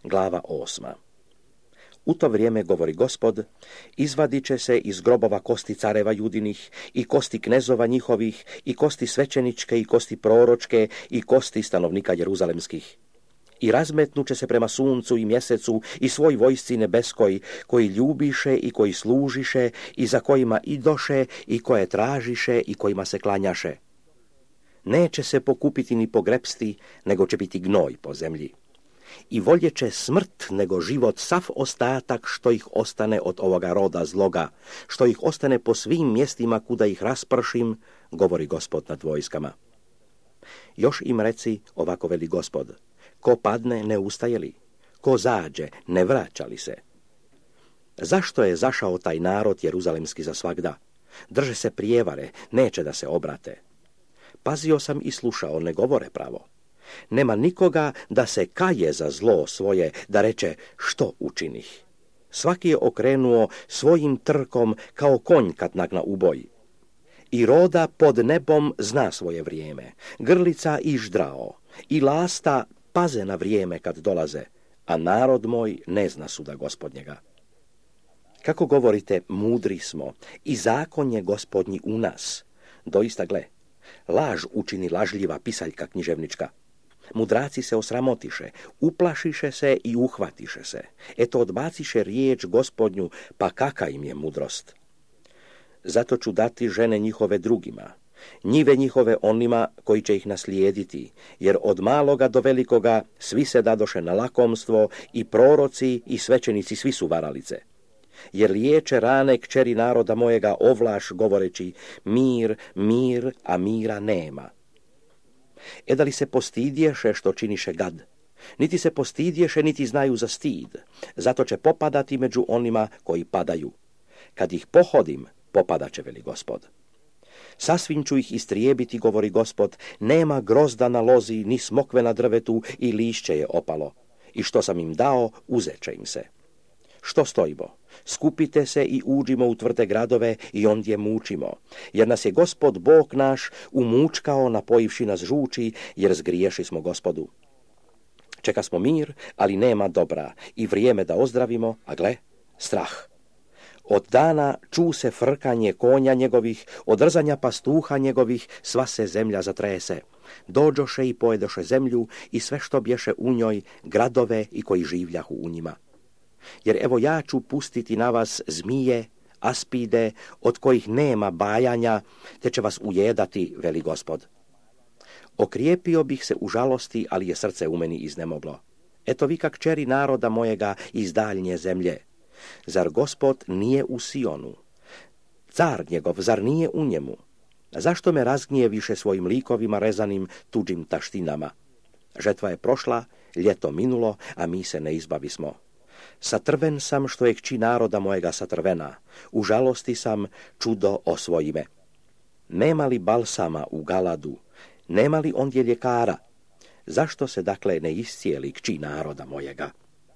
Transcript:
Glava 8. U to vrijeme, govori Gospod, izvadit će se iz grobova kosti careva judinih i kosti knezova njihovih i kosti svećeničke i kosti proročke i kosti stanovnika jeruzalemskih. I razmetnuće se prema suncu i mjesecu i svoj vojsci nebeskoj, koji ljubiše i koji služiše i za kojima idoše i koje tražiše i kojima se klanjaše. Neće se pokupiti ni pogrepsti, nego će biti gnoj po zemlji. I volje će smrt nego život sav ostatak što ih ostane od ovoga roda zloga, što ih ostane po svim mjestima kuda ih raspršim, govori Gospod nad vojskama. Još im reci, ovako veli Gospod, ko padne ne ustaje li, ko zađe ne vraća li se. Zašto je zašao taj narod jeruzalemski za svagda? Drže se prijevare, neće da se obrate. Pazio sam i slušao, ne govore pravo. Nema nikoga da se kaje za zlo svoje, da reče što učinih. Svaki je okrenuo svojim trkom kao konj kad nagna u boj. I roda pod nebom zna svoje vrijeme, grlica i ždrao, i lasta paze na vrijeme kad dolaze, a narod moj ne zna suda Gospodnjega. Kako govorite, mudri smo, i zakon je Gospodnji u nas. Doista, gle, laž učini lažljiva pisaljka književnička. Mudraci se osramotiše, uplašiše se i uhvatiše se. Eto odbaciše riječ Gospodnju, pa kaka im je mudrost. Zato ću dati žene njihove drugima, njive njihove onima koji će ih naslijediti, jer od maloga do velikoga svi se dadoše na lakomstvo, i proroci i svećenici svi su varalice. Jer liječe rane kćeri naroda mojega ovlaš, govoreći mir, mir, a mira nema. Da li se postidješe što činiše gad? Niti se postidješe, niti znaju za stid. Zato će popadati među onima koji padaju. Kad ih pohodim, popadaće, veli Gospod. Sasvim ću ih istrijebiti, govori Gospod, nema grozda na lozi, ni smokve na drvetu i lišće je opalo. I što sam im dao, uzeće im se. Što stojimo? Skupite se i uđimo u tvrde gradove i ondje mučimo, jer nas je Gospod Bog naš umučkao, napojivši nas žuči, jer zgriješi smo Gospodu. Čeka smo mir, ali nema dobra, i vrijeme da ozdravimo, a gle, strah. Od dana ču se frkanje konja njegovih, od rzanja pastuha njegovih, sva se zemlja zatrese. Dođoše i pojedoše zemlju i sve što bješe u njoj, gradove i koji življahu u njima. Jer evo ja ću pustiti na vas zmije, aspide, od kojih nema bajanja, te će vas ujedati, veli Gospod. Okrijepio bih se u žalosti, ali je srce u meni iznemoglo. Eto vi kak kćeri naroda mojega iz daljnje zemlje. Zar Gospod nije u Sionu? Car njegov, zar nije u njemu? Zašto me razgnjeviše svojim likovima rezanim tuđim taštinama? Žetva je prošla, ljeto minulo, a mi se ne izbavismo. Satrven sam što je kći naroda mojega satrvena, u žalosti sam, čudo osvoji me. Nema li balsama u Galadu, nema li ondje ljekara? Zašto se dakle ne iscijeli kći naroda mojega?